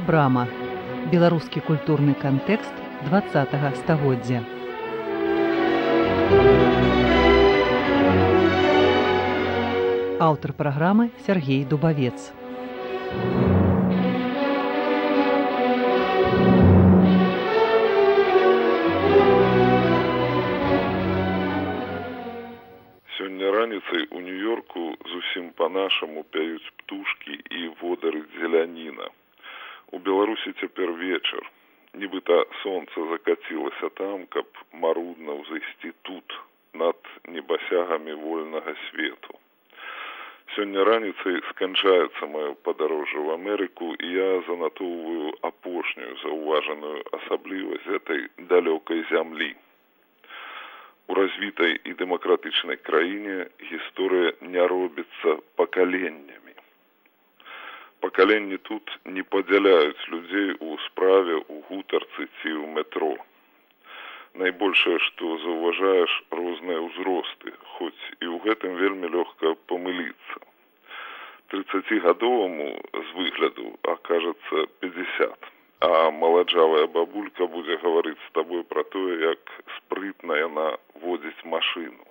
Вострая брама. Беларускі культурны кантэкст 20-га стагоддзя. Аўтар праграмы Сергей Дубавец. Сёння раніцай у Нью-Йорку зусім па-нашаму пяюць птушкі і водары зеляніна. У Беларусі цяпер вечар. Нібыта сонца закацілася там, каб марудна ўзайсці тут, над небасягамі вольнага свету. Сёння раніцай сканчаецца маё падарожжа ў Амерыку, і я занатоўваю апошнюю заўважаную асаблівасць гэтай далёкай зямлі. У развітай і дэмакратычнай краіне гісторыя не робіцца пакаленнямі. Пакаленні тут не падзяляюць людзей у справе, у гутарцы ці ў метро. Найбольшае, што заўважаеш, розныя ўзросты, хоць і ў гэтым вельмі лёгка памыліцца. 30-гадоваму з выгляду акажацца 50. А маладжавая бабулька будзе гаварыць з табой пра тое, як спрытна яна водзіць машыну.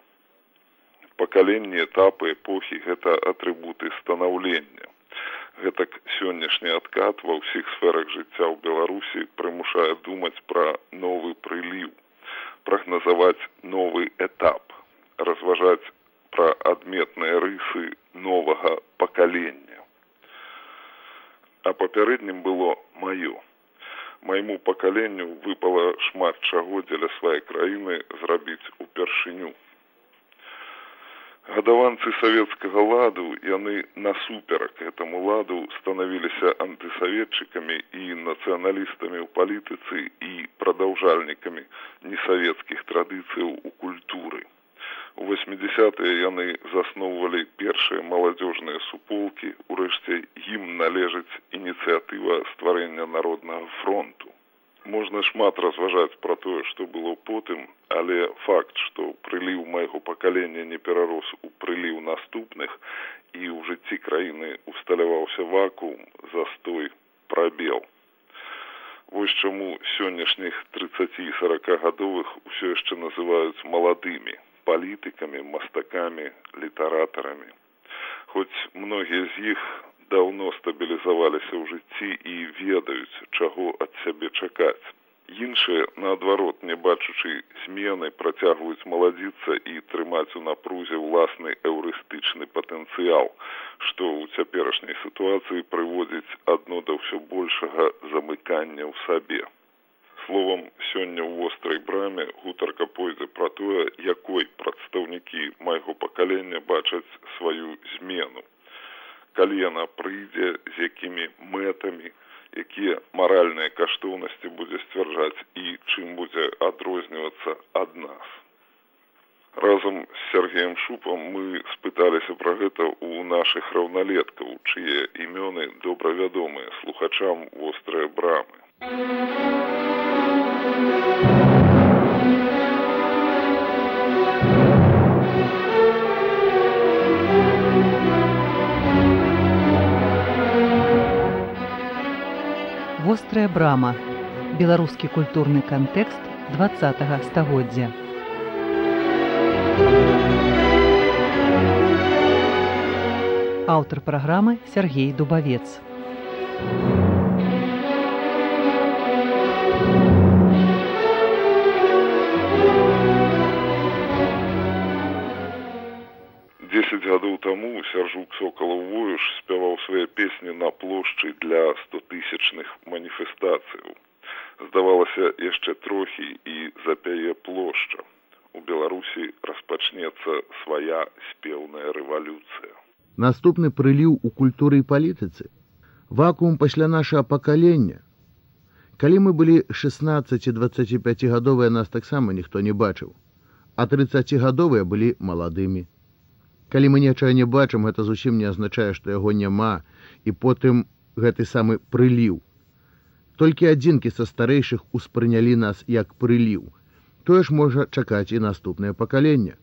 Пакаленні, этапы, эпохі – гэта атрыбуты станаўлення. Гэтак сённяшні адкат ва ўсіх сферах жыцця ў Беларусі прымушае думаць пра новы прыліў, прагназаваць новы этап, разважаць пра адметныя рысы новага пакалення. А папярэднім было маё. Майму пакаленню выпала шмат чаго дзеля сваёй краіны зрабіць упершыню. Гадаванцы савецкага ладу, яны насуперак гэтаму ладу станавіліся антысаветчыкамі і нацыяналістамі ў палітыцы і прадаўжальнікамі несавецкіх традыцыяў у культуры. У 80-е яны засноўвалі першыя маладзёжныя суполкі, урэшце ім належыць ініцыятыва стварэння Народнага фронту. Можна шмат разважаць пра тое, што было потым, але факт, што прыліў майго пакалення не перарос у прыліў наступных і ў жыцці краіны усталяваўся вакуум, застой, прабел. Вось чаму сённяшніх 30- і 40-гадовых усё яшчэ называюць маладымі палітыкамі, мастакамі, літаратарамі. Хоць многія з іх даўно стабілізаваліся ў жыцці і ведаюць, чаго ад сябе чакаць. Іншыя, наадварот, не бачучы змены, працягваюць маладзіцца і трымаць у напрузе ўласны эўрыстычны патэнцыял, што ў цяперашняй сітуацыі прыводзіць адно да ўсё большага замыкання ў сабе. Словам, сёння ў вострай браме гутарка пойдзе пра тое, якой прадстаўнікі майго пакалення бачаць сваю змену. Калі яна прыйдзе, з якімі мэтамі, якія маральныя каштоўнасці будзе сцвярджаць і чым будзе адрознівацца ад нас. Разам з Сергеем Шупам мы спыталіся пра гэта ў нашых раўналеткаў, чые імёны добра вядомыя слухачам вострай брамы. Вострая брама. Беларускі культурны кантэкст 20-га стагоддзя. Аўтар праграмы Сергей Дубавец. Гадоў таму Сяржук Сокалаў-Воюш спяваў свае песні на плошчы для 100-тысячных маніфестацыяў. Здавалася, яшчэ трохі і запяе плошча. У Беларусі распачнецца свая спеўная рэвалюцыя. Наступны прыліў у культуры і палітыцы. Вакуум пасля нашага пакалення. Калі мы былі 16-25гадовыя, нас таксама ніхто не бачыў, а 30гадовыя былі маладымі. Калі мы нечага не бачым, гэта зусім не азначае, што яго няма, і потым гэты самы прыліў. Толькі адзінкі са старэйшых успрынялі нас як прыліў. Тое ж можа чакаць і наступнае пакаленне.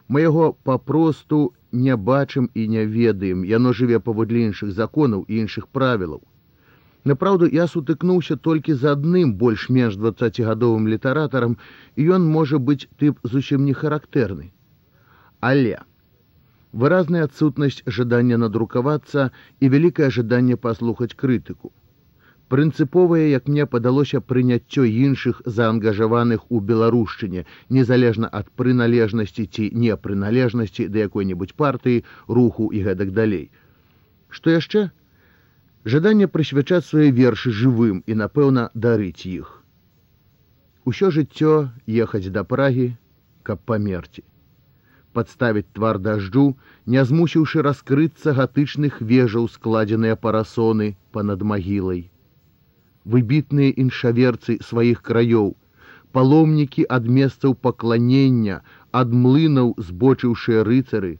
Мы яго папросту не бачым і не ведаем, яно жыве паводле іншых законаў і іншых правілаў. Напраўду, я сутыкнуўся толькі з адным больш-менш 20гадовым літаратарам, і ён можа быць тып зусім не характэрны. Але выразная адсутнасць жадання надрукавацца і вялікае жаданне паслухаць крытыку. Прынцыповае, як мне падалося, прыняццё іншых заангажаваных у беларушчыне, незалежна ад прыналежнасці ці непрыналежнасці да якой-небудзь партыі, руху і гэтак далей. Што яшчэ? Жаданне прысвячаць свае вершы жывым і, напэўна, дарыць іх. Усё жыццё ехаць да Прагі, каб памерці. Падставіць твар дажджу, не змусіўшы раскрыцца гатычных вежаў складзеныя парасоны панад магілай. Выбітныя іншаверцы сваіх краёў, паломнікі ад месцаў пакланення, ад млынаў збочыўшыя рыцары,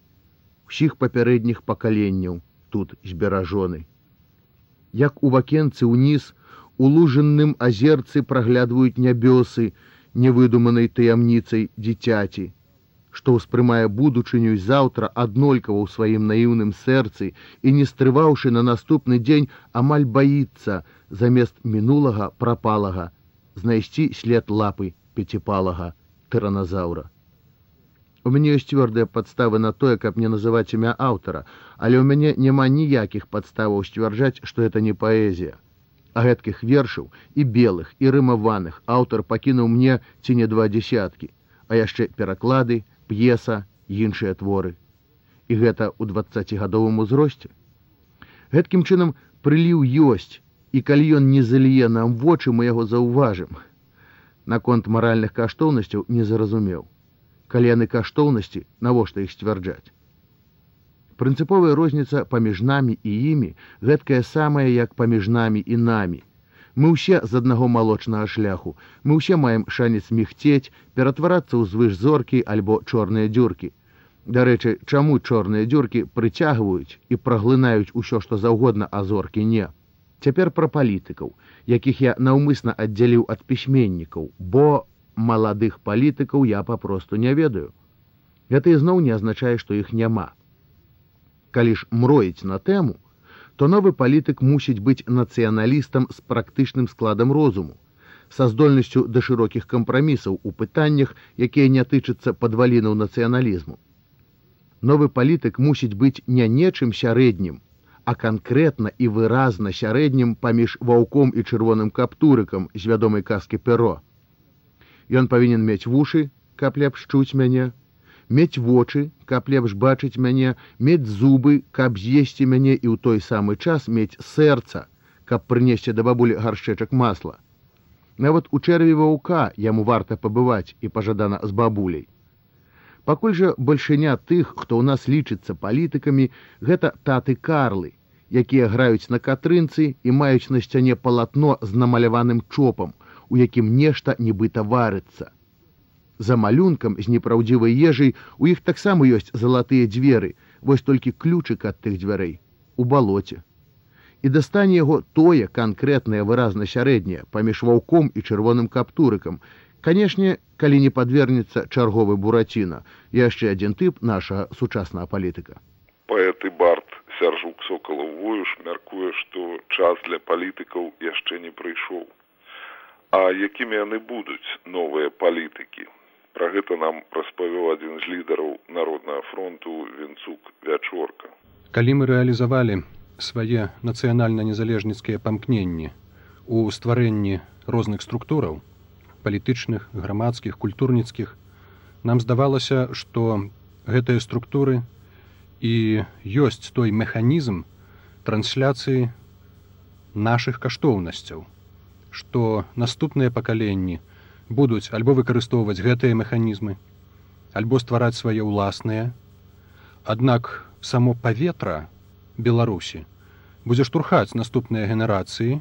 усіх папярэдніх пакаленняў тут зберажоны. Як у вакенцы ўніз, у лужынным азерцы праглядваюць нябёсы невыдуманай таямніцай дзіцяці, што ўспрымае будучыню заўтра аднолькава ў сваім наіўным сэрцы і, не стрываўшы на наступны дзень, амаль баіцца замест мінулага прапалага знайсці след лапы пяціпалага тыраназаўра. У мяне ёсць цвёрдыя падставы на тое, каб не называць імя аўтара, але ў мяне няма ніякіх падставаў сцвярджаць, што гэта не паэзія. А гэткіх вершаў, і белых, і рымаваных, аўтар пакінуў мне ці не 20, а яшчэ пераклады, п'еса, іншыя творы. І гэта ў 20гадовым узросце. Гэткім чынам прыліў ёсць, і калі ён не заліе нам вочы, мы яго заўважым. Наконт маральных каштоўнасцяў не зразумеў. Калі яны каштоўнасці, навошта іх сцвярджаць? Прынцыповая розніца паміж намі і імі гэткая самая, як паміж намі і намі. Мы ўсе з аднаго малочнага шляху, мы ўсе маем шанец мігцець, ператварацца ў звышзоркі альбо чорныя дзюркі. Дарэчы, чаму чорныя дзюркі прыцягваюць і праглынаюць усё, што заўгодна, а зоркі не? Цяпер пра палітыкаў, якіх я наўмысна аддзяліў ад пісьменнікаў, бо маладых палітыкаў я папросту не ведаю. Гэта ізноў не азначае, што іх няма. Калі ж мроіць на тэму, то новы палітык мусіць быць нацыяналістам з практычным складам розуму, са здольнасцю да шырокіх кампрамісаў у пытаннях, якія не тычацца падвалінаў нацыяналізму. Новы палітык мусіць быць не нечым сярэднім, а канкрэтна і выразна сярэднім паміж ваўком і чырвоным каптурыкам з вядомай казкі Перо. Ён павінен мець вушы, каб лепш чуць мяне, мець вочы, каб лепш бачыць мяне, мець зубы, каб з'есці мяне, і ў той самы час мець сэрца, каб прынесці да бабулі гаршчэчак масла. Нават у чэрві ваўка яму варта пабываць і пажадана з бабуляй. Пакуль жа бальшыня тых, хто ў нас лічыцца палітыкамі, гэта таты-карлы, якія граюць на катрынцы і маюць на сцяне палатно з намаляваным чопам, у якім нешта нібыта варыцца. За малюнкам з непраўдзівай ежай у іх таксама ёсць залатыя дзверы, вось толькі ключык ад тых дзвярэй у балоце. І дастане яго тое канкрэтнае выразна сярэдняе паміж ваўком і чырвоным каптурыкам. Канешне, калі не падвернецца чарговы Бураціна, яшчэ адзін тып нашага сучаснага палітыка. Паэт і бард Сяржук Сокалаў-Воюш мяркуе, што час для палітыкаў яшчэ не прыйшоў. А якімі яны будуць, новыя палітыкі? Пра гэта нам распавёў адзін з лідараў Народнага фронту Вінцук Вячорка. Калі мы рэалізавалі свае нацыянальна-незалежніцкія памкненні ў стварэнні розных структураў, палітычных, грамадскіх, культурніцкіх, нам здавалася, што гэтыя структуры і ёсць той механізм трансляцыі нашых каштоўнасцяў, што наступныя пакаленні будуць альбо выкарыстоўваць гэтыя механізмы, альбо ствараць свае ўласныя. Аднак само паветра Беларусі будзе штурхаць наступныя генерацыі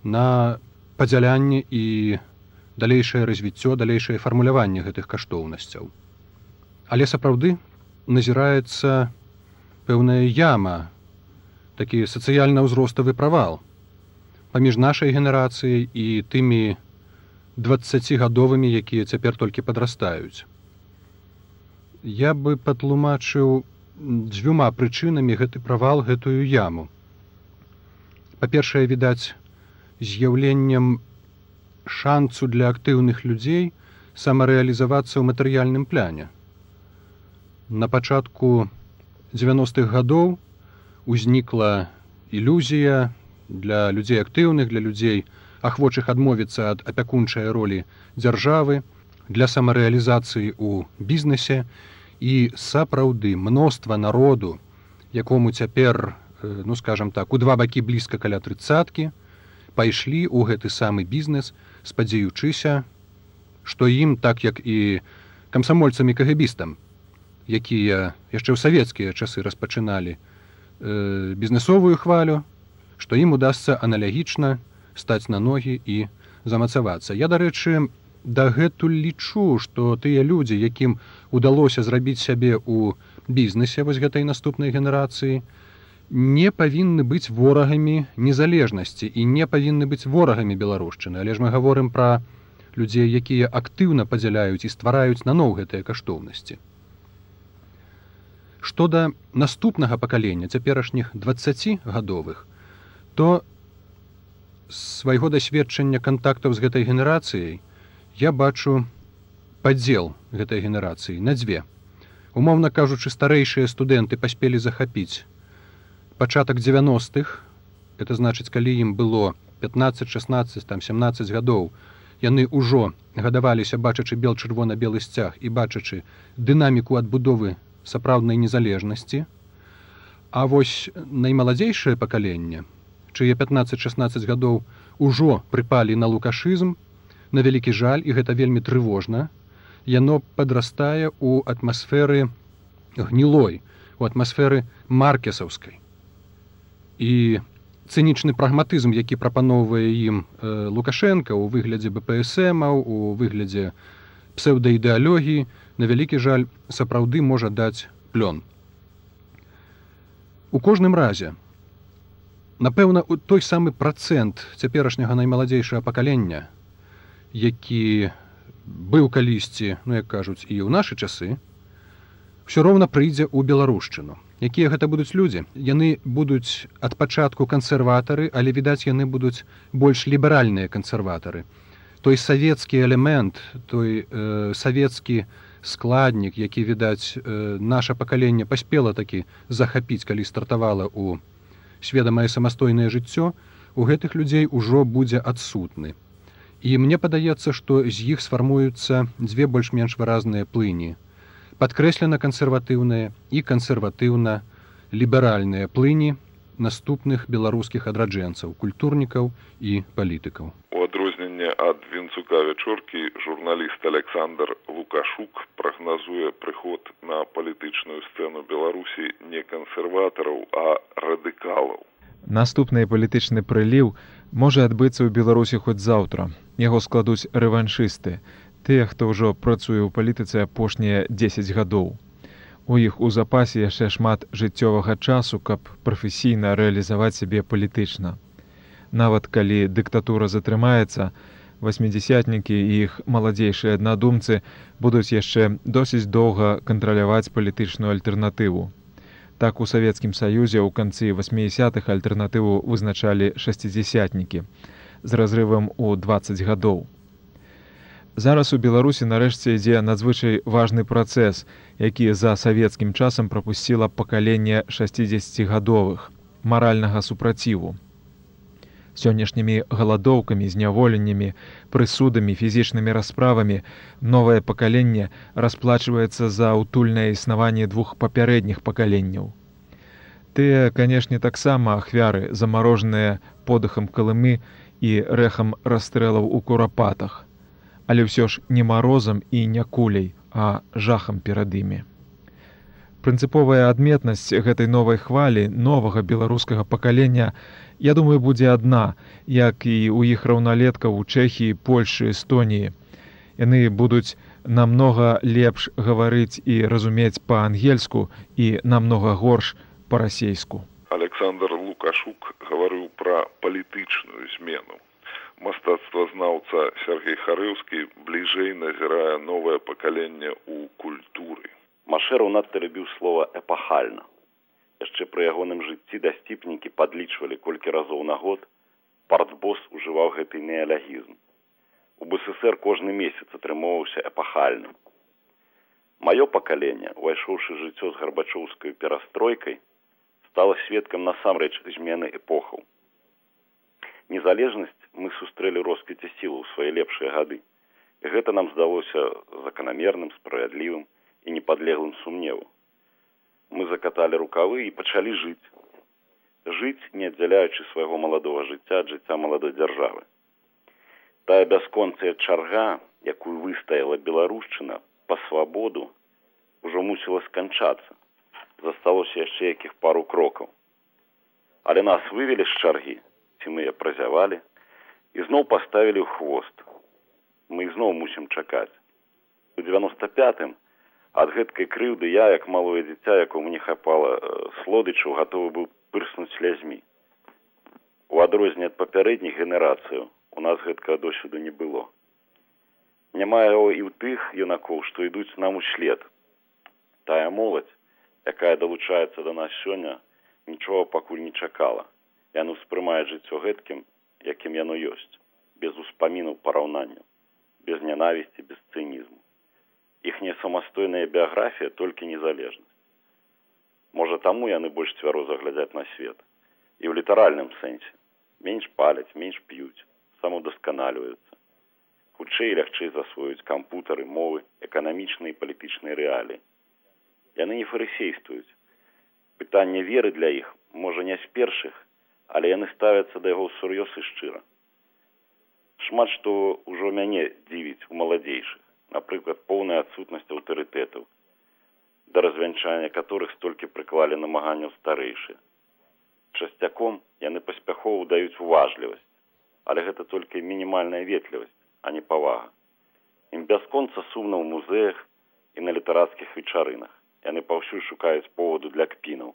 на падзялянне і далейшае развіццё, далейшае фармуляванне гэтых каштоўнасцяў. Але сапраўды назіраецца пэўная яма, такі сацыяльна-ўзроставы правал паміж нашай генерацыяй і тымі 20гадовымі, якія цяпер толькі падрастаюць. Я бы патлумачыў дзвюма прычынамі гэты правал, гэтую яму. Па-першае, відаць, з'яўленнем шансу для актыўных людзей самарэалізавацца ў матэрыяльным пляне. На пачатку 90-х гадоў узнікла ілюзія для людзей актыўных, для людзей, ахвочых адмовіцца ад апякунчай ролі дзяржавы, для самарэалізацыі ў бізнесе, і сапраўды мноства народу, якому цяпер, ну скажам так, у два бакі блізка каля 30-кі, пайшлі ў гэты самы бізнес, спадзеючыся, што ім, так як і камсамольцам і кагебістам, якія яшчэ ў савецкія часы распачыналі бізнесовую хвалю, што ім удасца аналагічна стаць на ногі і замацавацца. Я, дарэчы, дагэтуль лічу, што тыя людзі, якім удалося зрабіць сябе ў бізнесе вось гэтай наступнай генерацыі, не павінны быць ворагамі незалежнасці і не павінны быць ворагамі беларушчыны. Але ж мы гаворым пра людзей, якія актыўна падзяляюць і ствараюць наноў гэтыя каштоўнасці. Што да наступнага пакалення, цяперашніх 20гадовых, то з свайго дасведчання кантактаў з гэтай генерацыяй я бачу падзел гэтай генерацыі на дзве. Умоўна кажучы, старэйшыя студэнты паспелі захапіць пачатак 90-х, это значыць, калі ім было 15, 16, 17 гадоў, яны ўжо гадаваліся, бачачы бел-чырвона-белы сцяг і бачачы дынаміку адбудовы сапраўднай незалежнасці. А вось наймаладзейшае пакаленне, чые 15-16 гадоў ужо прыпалі на лукашызм, на вялікі жаль, і гэта вельмі трывожна, яно падрастае ў атмасферы гнілой, у атмасферы маркесаўскай. І цынічны прагматызм, які прапаноўвае ім Лукашенка ў выглядзе БПСМаў, у выглядзе псеўдаідэалогіі, на вялікі жаль, сапраўды можа даць плён. У кожным разе, напэўна, той самы працэнт цяперашняга наймаладзейшага пакалення, які быў калісьці, ну як кажуць, і ў нашы часы, ўсё роўна прыйдзе ў беларушчыну. Якія гэта будуць людзі? Яны будуць ад пачатку кансерватары, але, відаць, яны будуць больш ліберальныя кансерватары. Той савецкі элемент, той савецкі складнік, які, відаць, наша пакаленне паспела такі захапіць, калі стартавала ў сведамае самастойнае жыццё, у гэтых людзей ужо будзе адсутны. І мне падаецца, што з іх сфармуюцца дзве больш-менш выразныя плыні. Падкрэслена кансерватыўныя і кансерватыўна-ліберальныя плыні наступных беларускіх адраджэнцаў, культурнікаў і палітыкаў. У адрозненне ад Вінцука Вячоркі, журналіст Александр Лукашук прагназуе прыход на палітычную сцэну Беларусі не кансерватараў, а радыкалаў. Наступны палітычны прыліў можа адбыцца ў Беларусі хоць заўтра. Яго складуць рэваншысты, тыя, хто ўжо працуе ў палітыцы апошнія 10 гадоў. У іх у запасе яшчэ шмат жыццёвага часу, каб прафесійна рэалізаваць сябе палітычна. Нават калі дыктатура затрымаецца, 80-нікі і іх маладзейшыя аднадумцы будуць яшчэ досыць доўга кантраляваць палітычную альтэрнатыву. Так у Савецкім Саюзе ў канцы 80-х альтэрнатыву вызначалі 60-нікі з разрывам у 20 гадоў. Зараз у Беларусі нарэшце ідзе надзвычай важны працэс, які за савецкім часам прапусціла пакаленне 60гадовых, маральнага супраціву. Сённяшнімі галадоўкамі, зняволеннямі, прысудамі, фізічнымі расправамі новае пакаленне расплачваецца за ўтульнае існаванне двух папярэдніх пакаленняў. Тыя, канешне, таксама ахвяры, замарожаныя подыхам Калымы і рэхам расстрэлаў у курапатах, але ўсё ж не марозам і не куляй, а жахам перад імі. Прынцыповая адметнасць гэтай новай хвалі, новага беларускага пакалення, я думаю, будзе адна, як і ў іх раўналеткаў у Чэхіі, Польшы, Эстоніі. Яны будуць намнога лепш гаварыць і разумець па-ангельску і намнога горш па-расейску. Александр Лукашук гаварыў пра палітычную змену. Мастацтвазнаўца Сергей Харэўскі бліжэй назірае новае пакаленне ў культуры. Машэраў надта любіў слова «эпахальна». Яшчэ пры ягоным жыцці дасціпнікі падлічвалі, колькі разоў на год партбос ужываў гэты неалягізм. У БССР кожны месяц атрымоўваўся эпахальным. Маё пакаленне, увайшоўшы жыццё з гарбачоўскай перастройкай, стала сведкам насамрэч змены эпохаў. Незалежнасць мы сустрэлі росквіце сілаў у свае лепшыя гады. І гэта нам здалося заканамерным, справядлівым і непадлеглым сумневу. Мы закаталі рукавы і пачалі жыць. Жыць, не аддзяляючы свайго маладога жыцця ад жыцця маладой дзяржавы. Тая бясконцая чарга, якую выстаяла беларушчына па свабоду, ужо мусіла сканчацца. Засталося яшчэ якіх пару крокаў. Але нас вывелі з чаргі, ці мы яе празявалі, і зноў паставілі ў хвост. Мы зноў мусім чакаць. У 95-м ад гэткай крыўды я, як малое дзіця, якому не хапала слодычаў, гатовы быў пырснуць слязьмі. У адрозненне ад папярэдніх генерацыяў у нас гэткага досведу не было. Няма яго і ў тых юнакоў, што ідуць нам услед. Тая моладзь, якая далучаецца да нас сёння, нічога пакуль не чакала. Яно ўспрымае жыццё гэткім, якім яно ёсць, без успамінаў параўнанняў, без нянавісці, без цынізму. Іхняя самастойная біяграфія толькі незалежнасць. Можа, таму яны больш цвяроза глядзяць на свет. І ў літаральным сэнсе. Менш паляць, менш п'юць, самаўдасканаліваюцца. Хутчэй і лягчэй засвоюць кампутары, мовы, эканамічныя і палітычныя рэаліі. Яны не фарысействуюць. Пытанне веры для іх, можа, не з першых, але яны ставяцца да яго ўсур'ёз і шчыра. Шмат што ўжо мяне дзівіць у маладзейшых. Напрыклад, поўная адсутнасць аўтарытэтаў, да развянчання которых столькі прыклалі намаганняў старэйшыя. Часцяком яны паспяхова даюць уважлівасць, але гэта толькі мінімальная ветлівасць, а не павага. Ім бясконца сумна ў музеях і на літарацкіх вечарынах. Яны паўсюль шукаюць поводу для кпінаў.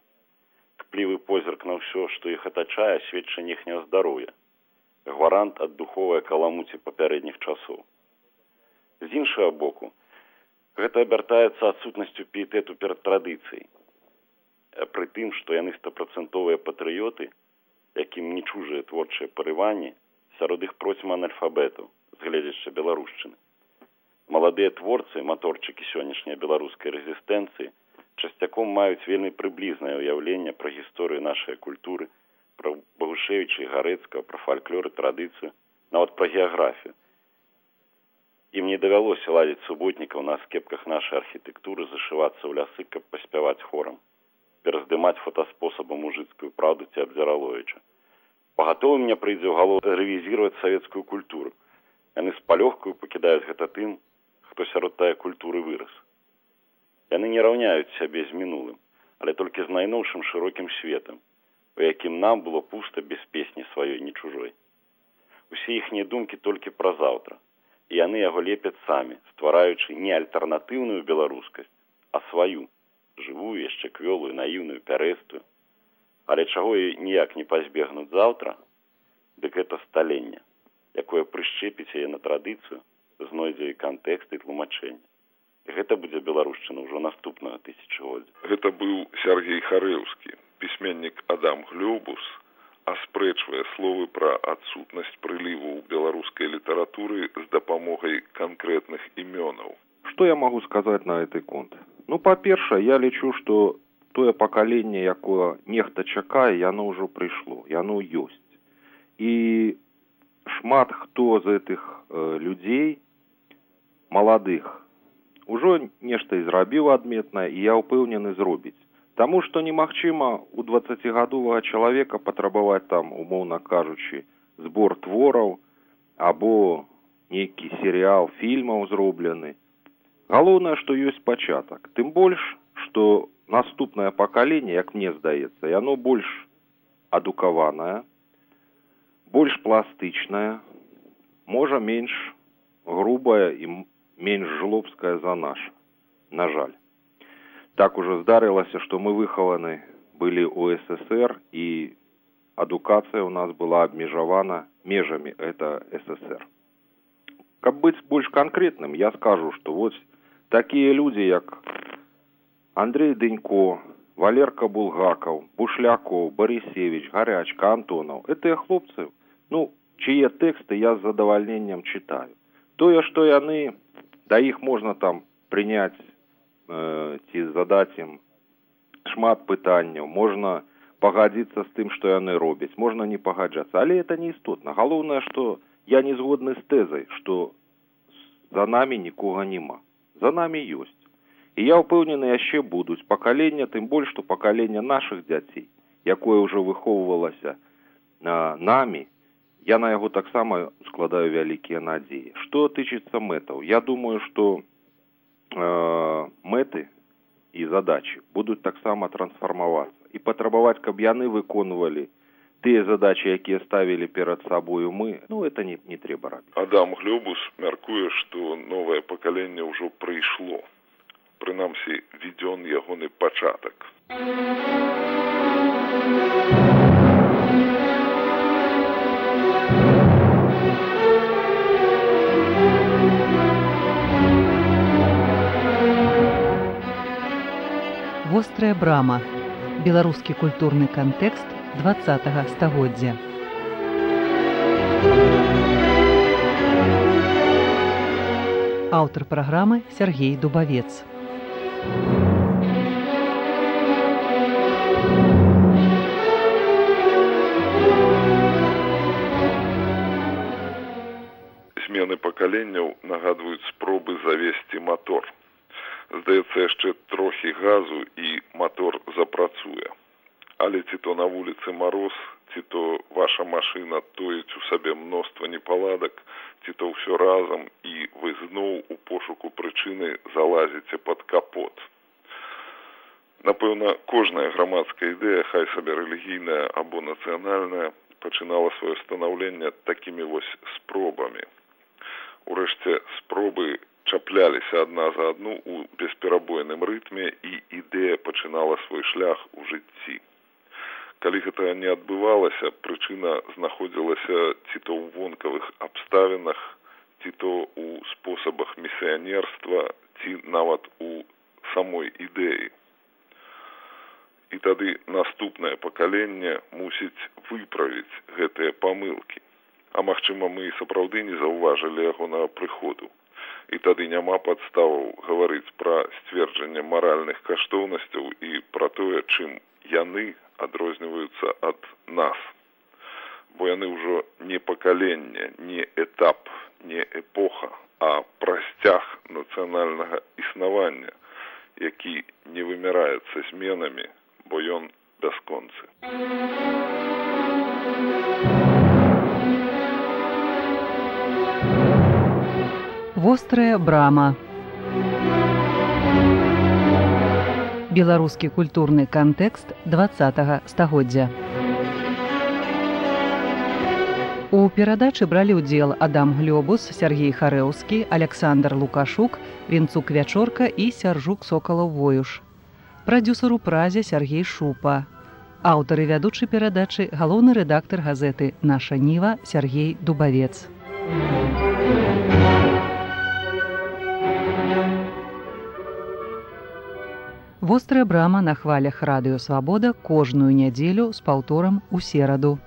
Кплівы позірк на ўсё, што іх атачае, сведчанне іхняга здароўя. Гварант ад духовай каламуці папярэдніх часоў. З іншага боку, гэта абяртаецца адсутнасцю піетэту перад традыцыяй. Пры тым, што яны 100% патрыёты, якім не чужыя творчыя парыванні, сярод іх процьма анальфабетаў, з гледзяча беларушчыны. Маладыя творцы, маторчыкі сённяшняй беларускай рэзістэнцыі, часцяком маюць вельмі прыблізнае ўяўленне пра гісторыю нашай культуры, пра Багушевіча і Гарэцкага, пра фальклор і традыцыю, нават пра геаграфію. Ім не давялося ладзіць суботнікаў на скепках нашай архітэктуры, зашывацца ў лясы, каб паспяваць хорам, пераздымаць фотаспосабам мужыцкую праўду ці Абдзіраловіча. Пагатова мне прыйдзе ў галову рэвізіраваць савецкую культуру. Яны з палёгкаю пакідаюць гэта тым, хто сярод тая культуры вырас. Яны не раўняюць сябе з мінулым, але толькі з найноўшым шырокім светам, у якім нам было пуста без песні сваёй, ні чужой. Усе іхнія думкі толькі пра заўтра, і яны яго лепяць самі, ствараючы не альтэрнатыўную беларускасць, а сваю, жывую, яшчэ квёлую, наіўную, пярэстую. Але чаго і ніяк не пазбегнуць заўтра, дык гэта сталенне, якое прышчэпіць яе на традыцыю, знойдзе і кантэкст, і тлумачэнне. І гэта будзе беларушчына ўжо наступнага тысячагоддзя. Гэта быў Сергей Харэўскі, пісьменнік Адам Глёбус, аспрэчвае словы пра адсутнасць прыліву ў беларускай літаратуры з дапамогай канкрэтных імёнаў. Што я магу сказаць на гэты конт? Ну, па-першае, я лічу, што тое пакаленне, якое нехта чакае, яно ўжо прыйшло, яно ёсць. І шмат хто з гэтых людзей, маладых, ужо нешта і зрабіў адметнае, і я ўпэўнены зробіць. Таму што немагчыма у 20гадовага чалавека патрабаваць там, умоўна кажучы, збор твораў або нейкі серыял фільмаў зроблены. Галоўнае, што ёсць пачатак. Тым больш, што наступнае пакаленне, як мне здаецца, яно больш адукаванае, больш пластычнае, можа менш грубая і менш жлобская за наша, на жаль. Так ужо здарылася, што мы выхаваны былі ў СССР, і адукацыя ў нас была абмежавана межамі гэта СССР. Каб быць больш канкрэтным, я скажу, што вось такія людзі, як Андрей Дэнько, Валерка Булгакаў, Бушлякоў, Барысевіч, Гарячка, Антонаў, гэтыя хлопцы Ну, чьи тэксты я з задавальненнем читаю. Тое, што яны, да іх можна там прыняць ці задаць ім шмат пытанняў, можна пагадзіцца з тым, што яны робяць, можна не пагаджацца, але это не істотна. Галоўнае, што я не згодны з тэзай, што за намі нікога няма. За намі ёсць. І я ўпэўнены, яшчэ будуць пакалення, тым больш, што пакалення нашых дзяцей, якое ўжо выхоўвалася намі, я на яго таксама складаю вялікія надзеі. Што тычыцца мэтаў, я думаю, што мэты і задачы будуць таксама трансфармавацца і патрабаваць, каб яны выконвалі тыя задачы, якія ставілі перад сабою мы, ну, это не трэба рабіць. Адам Глёбус мяркуе, што новае пакаленне ўжо прыйшло. Прынамсі, введзён ягоны пачатак. Вострая брама. Беларускі культурны кантэкст 20-го стагоддзя. Аўтар праграмы Сергей Дубавец. Змены пакаленняў нагадваюць спробы завесці мотор. Здаецца, яшчэ трохі газу і мотор запрацуе. Але ці то на вуліцы мароз, ці то ваша машына тоіць у сабе мноства непаладак, ці то ўсё разам, і вы зноў у пошуку прычыны залазіце пад капот. Напэўна, кожная грамадская ідэя, хай сабе рэлігійная або нацыянальная, пачынала сваё станаўленне такімі вось спробамі. Урэшце, спробы чапляліся адна за адну ў бесперабойным рытме, і ідэя пачынала свой шлях у жыцці. Калі гэта не адбывалася, прычына знаходзілася ці то ў вонкавых абставінах, ці то ў спосабах місіянерства, ці нават у самой ідэі. І тады наступнае пакаленне мусіць выправіць гэтыя памылкі. А магчыма, мы і сапраўды не заўважылі ягонага прыходу. І тады няма падставаў гаварыць пра сцверджанне маральных каштоўнасцяў і пра тое, чым яны адрозніваюцца ад нас. Бо яны ўжо не пакаленне, не этап, не эпоха, а прасцяг нацыянальнага існавання, які не вымяраецца зменамі, бо ён бясконцы. Вострая брама. Беларускі культурны кантэкст 20-го стагоддзя. У перадачы бралі ўдзел Адам Глёбус, Сергей Харэўскі, Александр Лукашук, Вінцук Вячорка і Сяржук Сокалаў-Воюш. Прадзюсар у празе Сергей Шупа. Аўтар і вядучы перадачы галоўны рэдактар газеты «Наша Ніва» Сергей Дубавец. Вострая брама на хвалях радыё «Свабода» кожную нядзелю з паўторам у сераду.